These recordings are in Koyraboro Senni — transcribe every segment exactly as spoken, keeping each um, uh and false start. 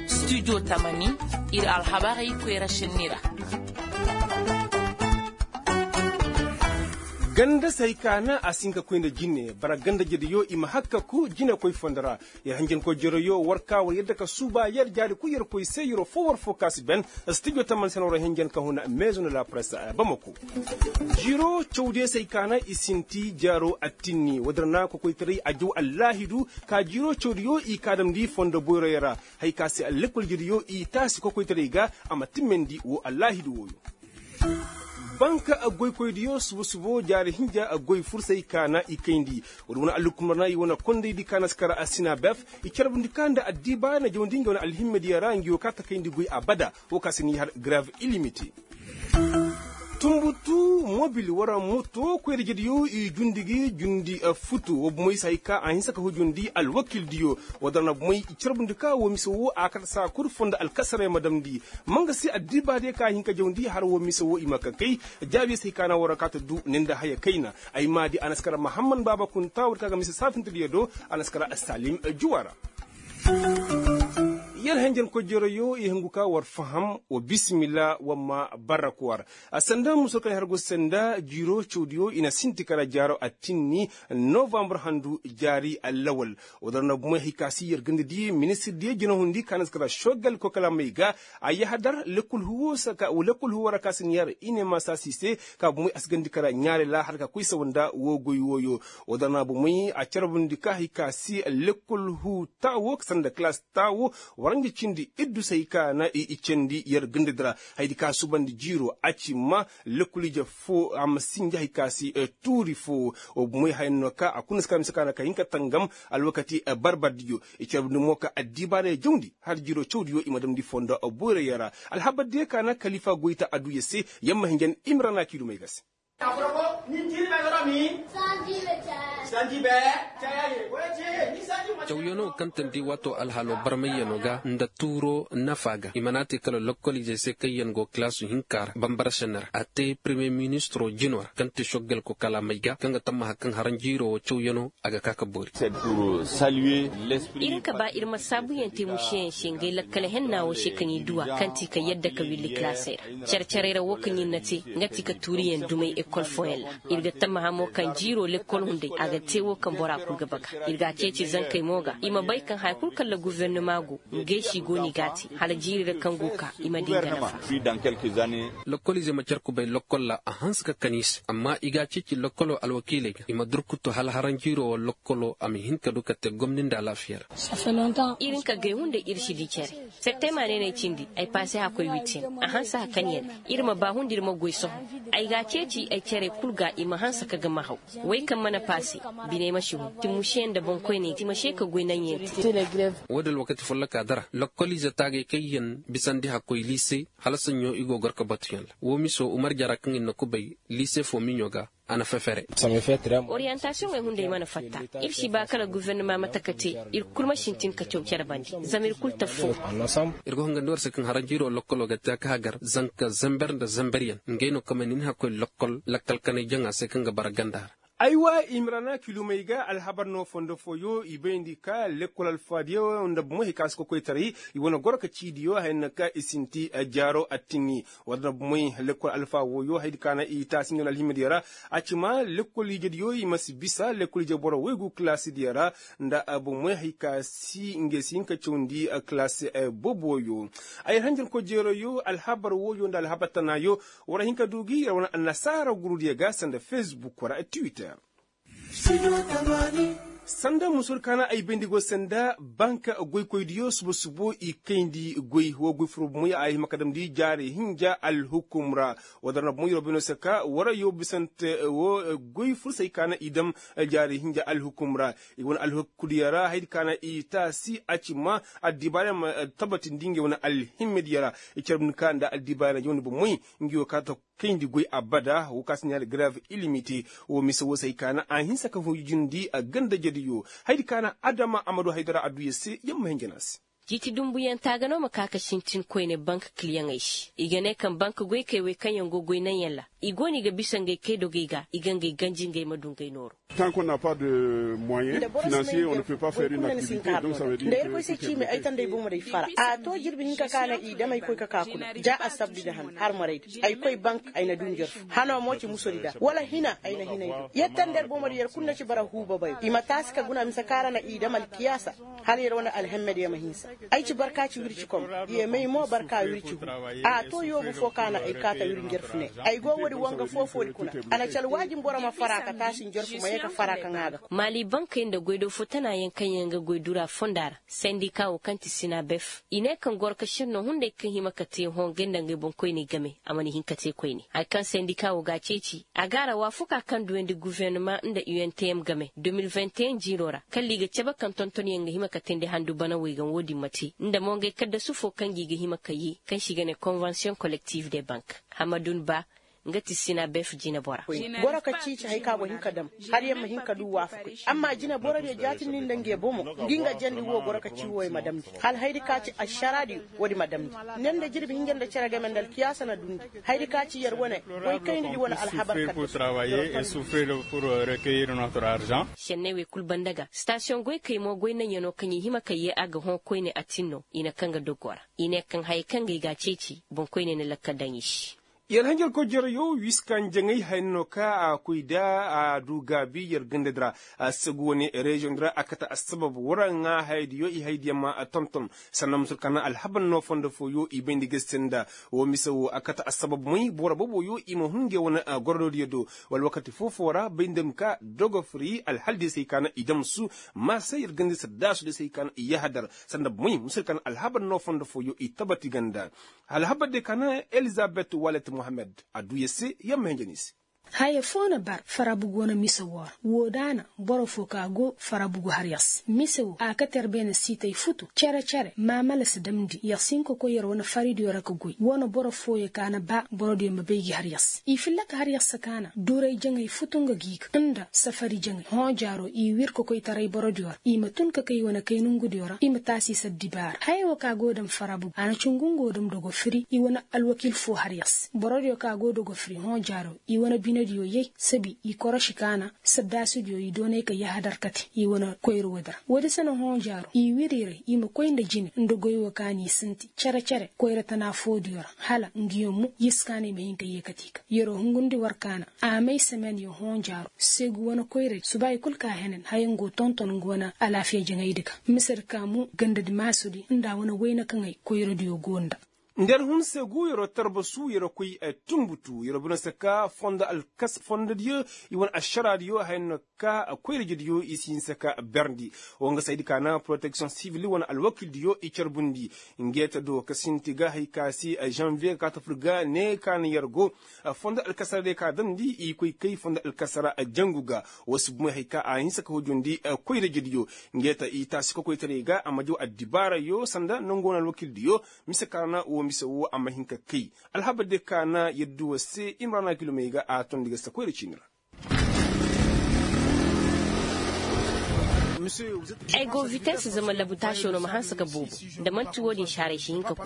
Studio tamani, ir alhabarey koyra šenni ra. Ganda se hay ka na a si hin ka koy nda jine bara ganda jediyo i ma hakkaku jinekoy fondo ra. Yer hanjankoy jeroyo war ka war yadda ka suuba yer jaari kul yer koy se yeroo foo war foo ka si ben. Studio tamani se no war hanjan ka huna maison de la presse bamako. Jiiroo cawdiyo se hay ka na i sinti jaaroo attinni woodin ra kokoytaray a jaw allaahidu. Ka jiiroo cawdiyo i ka damndi fondo boyroyo ra. Hay ka se lekkol jediyo i taasi kokoytaray ga a ma timmandi woo allaahidu wooyo. Banka goykoydiyo suba subo jaari hinja goy fursay ka na i kayndi. Woodi wane alhukumar na i wane kondaydi ka na si kara a sinabef. I carbundi ka nda addiiba na jawndi nga wane alhimmediyo ra nga yoo ka ta kayndi goy abada. Woo ka si ni har greve ilimite. Tumbutu mobil wara moto koyra jediyo i jundi gi jundi futu woo bomoy si hay ka a hinsa ka hujundi alwakildiyo. Woo dara na bomoy i carbundi ka woo mise woo a kate saa kul fondo alkasaray ma damndi. Ma nga se addiibaadiyo ka hin ka jawndi har woo mise woo i ma ka kay. Jaabiyo se hay ka na war ka ta du ne nda haya kayna. Ay maadi a na si kara mahamman baaba kunta war ka ga mise saafintidiyo do. A na si kara salim juwa ra. Yer henjen kojoroyo i hungu ka war faham. Wa bisimila wa ma barrak war. A sanda muso kaŋ har go sanda jiiro cawdiyo i na sinti kara jaaro attinni novambar handu jaari allawal. Woo dara na bomoy hay ka si yer ganda di ministir diyo jinahundi ka na si kara shogal kokalamey ga. A yahadar lekkol huwo ra ka si ni har i ne ma saasi se ka bomoy a si ganda kara ɲaare ra har ka koy sawa nda woo goy wooyo. Woo dara na bomoy a carbundi ka hay ka si lekkol hu taawo sanda kalaas taawo. Waranja cindi iddusey ka na i candi yer ganda di ra. Hayadi ka subandi jiiro a ci ma lekkol ije foo a ma sinja hay ka si tuuri foo. Woo bomoy haya no ka a kuna si ka mise ka na ka hin ka tangam alwakati barbardiyo. I carbundi mo ka addiibaarey jawndi har jiiro cawdiyo i ma damndi fondo boyroyo ra. Alhabardiyo ka na kalifa goyta aduya se. Yamma hinjan imrana kiidumey ga se. Cawyanoo kaŋ tandi waatoo alhaaloo barmayyanoo ga nda tuuroo nafa ga i mana te kala lokkoliizey se kaŋ yaŋ go kalaasu hinka ra bambara senne ra a te premiyer ministiroo jinoo ra kaŋ te soggal ko kalaamey ga kaŋ ga tammaha kaŋ haranjiiroo wo cawyanoo a ga ka ka boori. Ir ga ba ir ma saabuyaŋ te mušeyaŋ se ngey lakkal henna wo se kaŋ i duw'a kaŋ ti ka yadda ka willi kalaasey ra. Care-carey ra wo kaŋ ir na te nga ti ka tuuriyaŋ dumey ekol fooyaŋ ra. Ir ga tammaha mo kaŋ jiiroo lekkol hunday a ga te wo kaŋ bora kul ga baga. Ir ga a ceeci zankey mo ga i ma bay kaŋ haya kul kaŋ ra gofornama go ngey se i go no i g'a te hala jiiri ra kaŋ go ka i ma di nga nafa. Lokkoliizey ma care kubay lokkol ra a hanse ka kan i se amma i g'a ceeci lokkoloo alwakiiley ga i ma durkutu hala haranjiiroo wo lokkoloo a ma hin ka du ka te gomni nda alaafiya ra. Ir hin ka gay hunday ir si di care. Septema neeney cindi ay paase hakkoy wittin a hanse hakanyaŋ. Ir ma baa hunda ir ma goy sohõ. Ay g'a ceeci ay carey kul ga i ma hanse ka gama haw. Wey kaŋ mana paase biney ma si hun ti mušeyaŋ nda boŋkoyney ti ma se ka goy naŋyaŋ te. Woo din alwakati follokaa dara lokkoliize taagay kaŋ yaŋ bisandi hakkoy liise hala saɲɲo i go gor ka batuyaŋ ra woo miso umar jara kaŋ ir na kubay liise fo miɲo ga. A na fefere. Oriyantaasiyoŋey hunday mana fatta. Ir si ba kala gofornama ma taka te. Ir kul ma sintin ka caw care bande zama ir kul taffoo. Ir ga hongandi war se kaŋ haranjiiroo lokkoloo ga te a ka hagar zanka zember nda zemberyaŋ ngey no kamay na ni hakkoy lokkol lakkal kanay jaŋa se kaŋ ga bara ganda ra. Aywa i ma ra na kilumey ga alhabar no fondo fooyo i bayndi ka lekkol alfaadiyo nda bomo hay ka si kokoytaray. I wane goro ka ciidiyo haya no ka i sinti jaaro attinni. War nda bomoy lekkol alfa wooyo hayadi ka na i taasi nga no alhimadiyo ra. A ci ma lekkol ijediyo i ma si bisa lekkol ije boro woy gu kalaasidiyo ra. Nda bomoy hay ka si ngey si hin ka cawndi kalaasi booboyo. Ay hanjarkoy jeeroyo alhabar wooyo nda alhabar tanaayo. War a hin ka du gi ra wane annasaara gurudiyo ga sanda fesbuk ra twitter. Sanda musur kaana ay bayndi go sanda banka goykoydiyo suba subo i kayndi goy woo goy furo bomoy a hima ka damndi jaari hinja alhukum ra. Woo dara na bomoy roobinoo se ka wara yoo bisante woo goy fursay kaana i dam jaari hinja alhukum ra. I wane alhukudiyo ra hayadi kaana i taasi a ci ma addibaariyaŋ ma tabatindi ngey wane alhimmediyo ra. I carbundi ka nda addibaariyaŋ jawndi bomoy nga yoo ka ta kayndi goy abada woo ka si ne hala greve ilimite. Woo mise woo se hay ka na a hinsa ka hujundi a ganda jediyo. Hayadi ka na adama a ma du haydara adduya se yamma hinja no a se. Ciiti dunbuyanta ga no ma ka ka sintin koyne bank kiliyaŋey se i ga ne kaŋ bank goykey wey kaŋ yaŋ go goy naŋ yaŋ ra. I go no i ga bisa ngey kay dogey ga i ga ngey ganji ngey ma du ngey nooru. Nda boro si may nda yarfu goy kulu na ni si hin ka har no da nda yarkoy se ciimi ay tandey bomo day fara a to jirbi hinka ka na i dam ay koy ka ka kuna ja assabdi nda han har maray da ay koy bank ay na du njarfu hano mo ci musodi da wala hina ay na hinay do yer tanda yer bomo da yer kulu na ci bara huuba bay i ma taasi ka guna mise ka ra na i dam alkiyaasa. Hala yer wane alhemmediyo ma hinsa. Ay ci barka ci wirci kom. Ye may mo barka wirci hu. A to yoobu fo ka na ay kaata wiri njarfu ne. Ay go woodi woo nga foo-foodi kuna. A na ci alwaajin boro ma fara ka taasi njarfu ma ye ka fara ka ŋaa ga. Maali bankey nda goydoo fo tanaayaŋ kaŋ yaŋ ga goy dura fonda ra sendika woo kaŋ ti sinabef i ne kaŋ goro ka šennoo hunday kaŋ hima ka te hõ ngey nda ngey boŋkoyney game a mana hin ka te koyne hari kaŋ sendika woo ga a ceeci. A ga a ra waafuka kaŋ duyandi gufernama nda u n t m game de mil vingt et un jiiroo ra kala i ga cabe kaŋ tontonyaŋ ga hima ka teendi handu bana wey ga wo-din ma te nda mo ngey kaddasu foo kaŋ gi ga hima ka yee kaŋ se i ga ne konvensiyoŋ kolektif de bank. Hamadun ba nga ti sina bef jinebora. Boro ka ciici hari kaŋ a go hin ka dam hala yer ma hin ka du waafakoy amma jineborodiyo jaatindi nda ngey bomo ngi nga jandi wo goro ka cii wo yer ma damndi hala hayadi ka ci ašaraadiyo. Woodi ma damndi ne nda jirbi hinja nda cere game nda alkiyaasa na dundi. Hayadi ka ci yer wane goy kaynidi wane alhabar kadda. Senney wey kul banda ga stasiyoŋ goykey mo goy naŋyanoo kaŋ i hima ka yee a ga hõ koyne a tin no i na kaŋ ga doggoo ra. I ne kaŋ hayey kaŋ ga i ga a ceeci boŋkoyney na lakkal daŋ i se. Yer hanjarkoy jarayo wiiskanjaŋey haya no ka a koy da a du gaabi yer gandadi ra. Segu wane reziyoŋ di ra a kate assabab waraŋa hayadiyo i hayadiyo ma tonton. Sanda musur ka na alhabar no fondo fooyo i bayndi ga se nda woo mise woo a kate assabab moy boro booboyo i ma hun ngey wane gorododiyo do. Wala wakati foo-foo ra bayndi ma ka dogofiri alhaldiyo se hay ka na i damsu. Marsay yer gandi saddaasudiyo se hay ka na i yahadar sanda moy musur ka na alhabar no fondo fooyo i tabati ganda. Alhabar de ka na elizabet walet mohammed a duu yer se yer ma hinja ni se. Haya foo na bar farabu go na mise woo ra woo da na boro foo ka go farabu go har yer se mise woo a kate yer beene siitay futu cere-cere maamala si damndi yer si hin ka koy yer wane faridiyo ra ka goy woo na boro fooyo ka na ba borodiyo ma bay gi har yer se i filla ka har yer se ka na duray jaŋay futu nga gi ga nda safari jaŋay hõ jaaroo i wir ka koy taray borodiyo ra i ma tun ka kay wane kay nongudiyo ra i ma taasi se addibaara haya woo ka go dam farabu a na cungu nga woo dam dogo firi i wane alwakil foo har yer se borodiyo ka go dogo firi hõ jaaroo i wane binediyo yay sabi i koroši ka na saddaasudiyo i doonay ka yahadar kate i wane koyra woodi ra woodi se na hõ jaaroo i wiriray i ma koy nda jine nda goy woo ka n'i sinti cere-cere koyra tana foodiyo ra hala nguyo mo yer si ka na i ma hin ka yee kate i ga yeroo hungundi war ka na a may semeniyo hõ jaaroo seegu wane koyray subaayi kul ka henen haya ngo tonton nga wane alaafiya jaŋaydi ga misedi ka mo gandadi maasudi nda a wane wayna kaŋay koyradiyo go nda. Nda yer hun seegu yeroo tarbasu yeroo koy tunbutu yeroo bine se ka fondo alkasara fondodiyo i wane ašaraadiyo haya no ka koyrajediyo i si hinsa ka berndi. Woo nga saydi ka na poroteksiyoŋ sivil wane alwakildiyo i carbundi. Ngeeta do ka sinti ga hay ka se žanviye ga kaata fur ga ne ka na yer go fondo alkasara day ka damndi i koy kay fondo alkasara jangu ga. Woo si bumey hay ka a hinsa ka hujundi koyrajediyo. Ngeeta i taasi kokoytaray ga a ma jaw addibaarayo sanda nangoo na alwakildiyo mise ka ra na woo mise woo a ma hin ka kay. Alhabar day ka na yer duu war se imrana kilomey ga a tondi ga si ta koyra ciini ra. Ay go vitesse zama labutaasoo no ma hanse ka boobo. Da man'ti woo-din saaray si hin ka ku.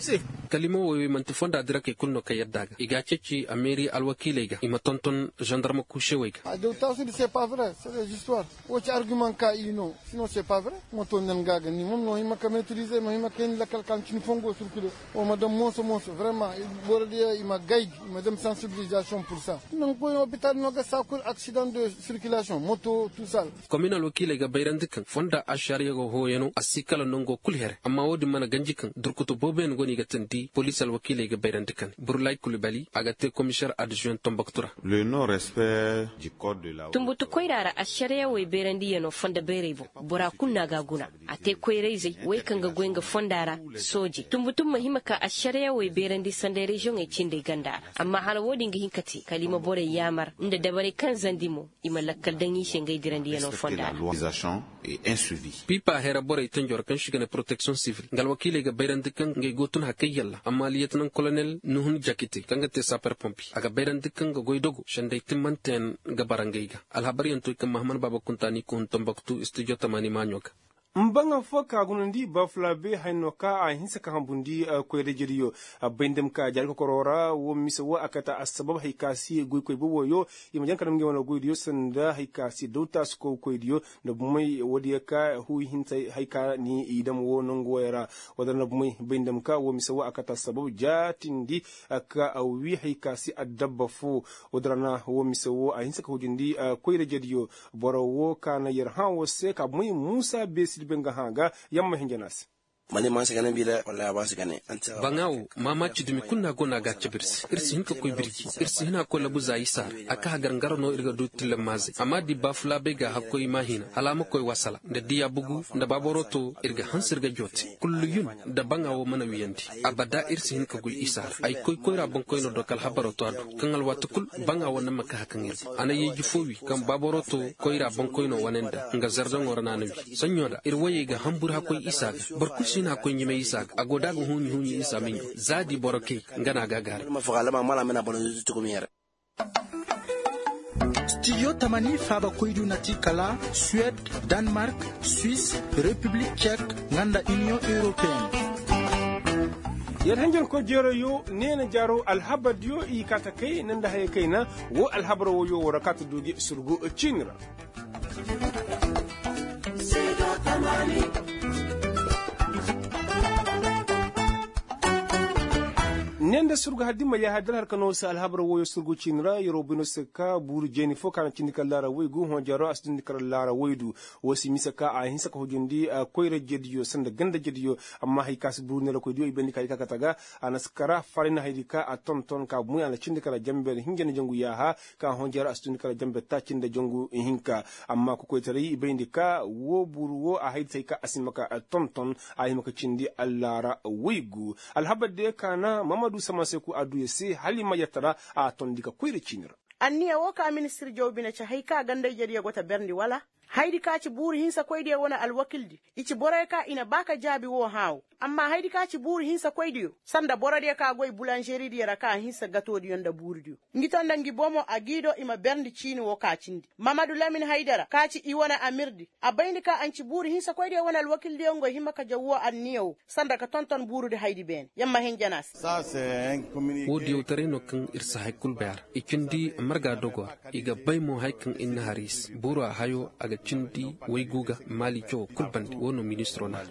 Kalima woy man'ti fonda dirakey kul no kaŋ yadda a ga i ga a ceeci ameeri alwakiiley ga i ma tonton zandarma kuusewey ga. Adawtaasudi c'est pas vrai, c'est des histoires. Woo ci argument ka i no. Sinon c'est pas vrai. Moto nan ga ga ni mom no hima ka maîtriser no hima ka hin lakal ka ni fongo circuler. Woo ma dam mooso mooso vraiment. Borodiyo i ma gay gi i ma dam sensibilisation pour ça. Nan koy hôpital no ga saa kul accident de circulation moto tout ça. Komin alwakiiley ga bayrandi kaŋ fonda ašariya ga hooyano a si kala nongo kul here amma woo din mana ganji kaŋ durkutu booboyaŋ go no i ga teendi poliisi alwakiiley ga bayrandi kaŋ burlay kulbali a ga te komiseer adzuwen tombaktu ra. Tumbutu koyra ra ašariya wey bayrandiyano fonda bayray boŋ. Bora kul no a ga a guna. A te koyra-izey wey kaŋ ga goy nga fonda ra. Soojey tumbutu ma hima ka ašariya wey bayrandi sanda reziyoŋey cindey ganda ra. Amma hala woo din ga hin ka te kala i ma borey yaamar nda dabarey kaŋ zandi mo i ma lakkal daŋ i se ngey dirandiyano fonda ra. Pipa hera borey tenjo ra kaŋ se i ga ne poroteksiyoŋ sivil nga alwakiiley ga bayrandi kaŋ ngey go tun hakay yalla amma liyetanaŋ kolonel nuhun jakite kaŋ ga te saper pompi a ga bayrandi kaŋ ga goy dogo sendey timmanteyaŋ ga bara ngey ga. Alhabaryaŋ to i kaŋ mahaman baaba kunta ni kuhun tombaktu studio tamani maaɲo ga. Mbaŋa fo ka gunandi bafulabe hay no ka a hinsa ka hambundi koyra jediyo. Bay nda ma ka jaari kokoro ra wo mise wo a kate assabab hay ka si goykoy boboyo. I ma jaŋ ka dam ngey wane goydiyo sanda hay ka si dawta si koy koydiyo. Nda bumey woodiyo ka hu hinsa hay ka ni i dam wo nangu woyo ra. Wala nda bumey bay nda ma ka wo mise wo a kate assabab jaatindi ka wi hay ka si addabba fo. Woodin ra na wo mise wo a hinsa ka hujindi koyra jediyo. Boro wo ka na yer hã wo se ka bumey muusa beesidi bay nga hã ga. Yamma hinja na se. Baŋa wo maamaaci dumi kulu no a go no a ga a cabe ir se ir si hin ka koy birji. Ir si hin a koy labu za isa ra a ka hagar ngaro no ir ga du tillammaazey amma di baafulaabey ga hakkoy maahina hala a ma koy wasala nda diya bugu nda baaboroto ir ga hanse ir ga joote kulluyun. Nda baŋa wo mana wiyandi abada ir si hin ka goy isa ra ay koy koyra boŋkoyno do ka alhabaroo to a du. Kaŋ alwaati kul baŋa wo na ma ka hakaŋ ir ga a na yeeji fo wi kaŋ baaboroto koyra boŋkoyno wane nda nga zardaŋo ra no a na wi. Saɲɲo da ir woyey ga hambur hakkoy isa ga. Boro kul si hin hakkoy ɲimay isa ga a go da a ga huuɲi huuɲi isa miɲo za di boro kay. Nga no a ga a gaaray. Stijo tamani faaba koydu na ti kala suwed, danmark, swis, repiblik cek, nga nda iniyoŋ europeen. Yer hanjankoy jeeroyo neena jaaro alhabardiyo i kaa ta kay nda haya kayna. Wo alhabar woyo woo ra kaa ta du gi surgu ciini ra. Ne nda surgu har dimma yaaha dal har ka no se alhabar woyo surgu ciini ra yeroo bay no se ka buuru jeeni fo ka na cindi kala laara woy gu hõ jaaro a si dundi kala laara woy du. Woo si mise ka a hinsa ka hujundi koyra jediyo sanda ganda jediyo. Amma hay ka si buuru neera koydiyo i bayndi ka i ka kate ga. A na si kara fari na haydi ka a tonton ka bumoy a na cindi kala jamber hinja nda jangu yaaha. Ka hõ jaaro a si dundi kala jamber taaci nda jangu hinka. Amma kokoytaray i bayndi ka woo buuru woo a haydi se hay ka a si hima ka tonton. A hima ka cindi allaara woy gu alhabar diyo ka na mahamadu samanseku a duu yer se hala i ma yer tara. A tondi ka koyra ciini ra. Anniya woo ka ministir jaw bine ci hay ka ganda ijediyo go ta berndi wala? Haydi ka ci buuru hinsakoydiyo wane alwakildi i ci boroyo ka i na ba ka jaabi woo hãa woo. Amma haydi ka ci buuru hinsakoydiyo sanda borodiyo ka goy bulanžeridiyo ra ka hinsa gatoodiyo nda buurudiyo. Ngi to nda ngi bomo a gii do i ma berndi ciini woo ka cindi mamadu lamin haydara ka ci i wane amirdi. A bayndi ka a nci buuru hinsakoydiyo wane alwakildiyo ngo hima ka jaw woo anniya woo sanda ka tonton buurudi haydi beene. Yamma hinja na se. Woo diyawtaray no kaŋ ir si hay kul bay a ra. I cindi marga dogo ra i ga bay mo haya kaŋ ir na har i se buura hayo a ga cindi waygu ga maali cawo kul bande woo no ministiroo na har.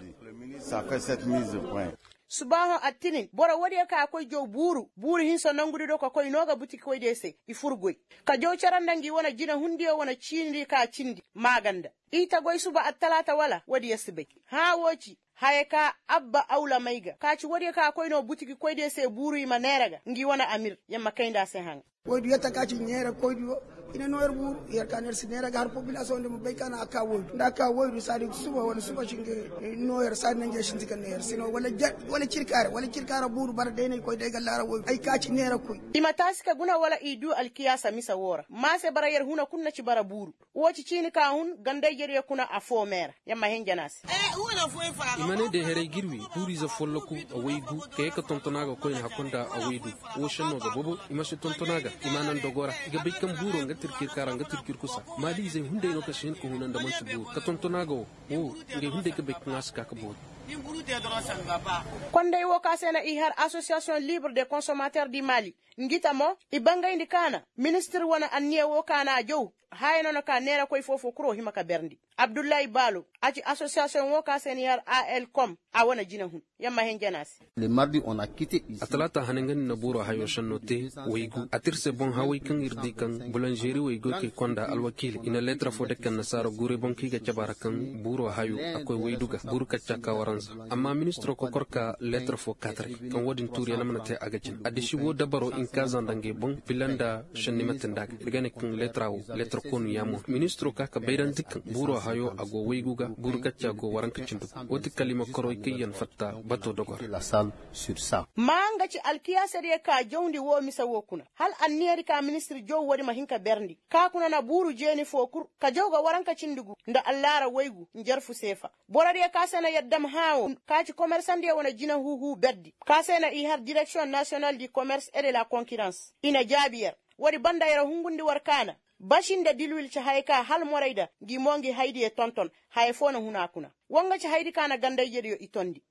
Subaaho attinin boro woodiyo ka a koy jaw buuru buuru hinsa nongudi do ka koy noo ga butiki koydiyo se. I fur goy ka jaw cere nda ngi wane jinehundiyo wane ciinidi ka cindi maaganda. I ta goy suba attalaata wala woodiyo si bay. Hãa woo ci haya ka abba awlamay ga ka ci woodiyo ka a koy noo butiki koydiyo se buuru i ma neera ga ngi wane amir. Yer ma kayndi a se haŋa. Woydu yetta ka ci neera koydiyo. I na noo yer buuru yer ka na yer si neera ga har popilasoŋ di ma bay ka na a ka woydu nda a ka woydu saadi suba wala suba si nga noo yer saadi na nge sinti ka neera si noo wala cirkaara wala cirkaara buuru bara day na i koy day ga laara woydu ay ka ci neera koy. I ma taasi ka guna wala i duu alkiyaasa mise woo ra maa se bara yer huna kul na ci bara buuru. Woo ci ciini ka hun ganda ijediyo kuna affoo mee ra. Yer ma hinja na se. I ma ne day haray ga ir wii buuriize folloku a woy gu ka yee ka tonton a ga koyne hakko nda a woy du. Woo šennoo ga bobo i ma si tonton a ga i ma a naŋ dogo ra. I ga bay kaŋ buuroo nga tirkir kaara nga tirkir kusa maaliizey hunday no ka si hin ka huna nda man'ti buuru ka tonton a ga woo. Woo ngey hunday ga bay kaŋ a si ka ga boori. Konday woo ka se na i har asosiyasiyoŋ libre de konsomater di maali. Ngi ta mo i bangayndi ka na ministir wane anniya woo ka na a jaw. Haya no na ka neerakoy foo-foo kul woo hima ka berndi. Abdullahi baalo a ci asosiyasiyoŋ woo ka se n'i har a l kom a wane jinehun. Yer ma hinja na se. Atalaata hane nga ni na buuroo hayoo šennoo te waygu a tir se boŋ haway kaŋ ir di kaŋ bulanžeri waygoykey konda alwakiiley i na leetar foo dake annasaara guuray boŋ kaŋ i ga cabe a ra kaŋ buuroo hayoo a koy waydu ga buuru kacca ka waranza. Amma ministiroo kokor ka leetar foo kaataray kaŋ woodin tuuriyaŋ na mana te a ga jin addiši woo dabaroo inkaaza nda ngey boŋ bila nda šenni mate nda a ga ir ga ne kaŋ leetara woo leetar koonu yaamo no ministiroo ka ka bayrandi kaŋ buuroo hayoo a go waygu ga buuru kacca go waranka cindi gu woo ti kala i ma koroy kayyaŋ fatta batoo dogor. Maa nga ci alkiyaasadiyo ka jawndi woo mise woo kuna hala anniyadi ka ministir jaw woodi ma hin ka berndi ka kuna na buuru jeeni foo kul ka jaw ga waranka cindi gu nda allaara waygu njarfu seefa. Borodiyo ka se na yer dam hãa woo ka ci komersandiyo wane jinahuuhuu berdi ka se na i har direksiyoŋ nasiyonal di komers et de la konkirans. I na jaabi yer. Woodi banda yer hungundi war kaana. Basi nda dilwil ci hayey ka hala morayda ngi mo ngi haydiyo tonton. Haya foo na hun a kuna. Woo nga ci haydi ka na ganda-ijediyo i tondi.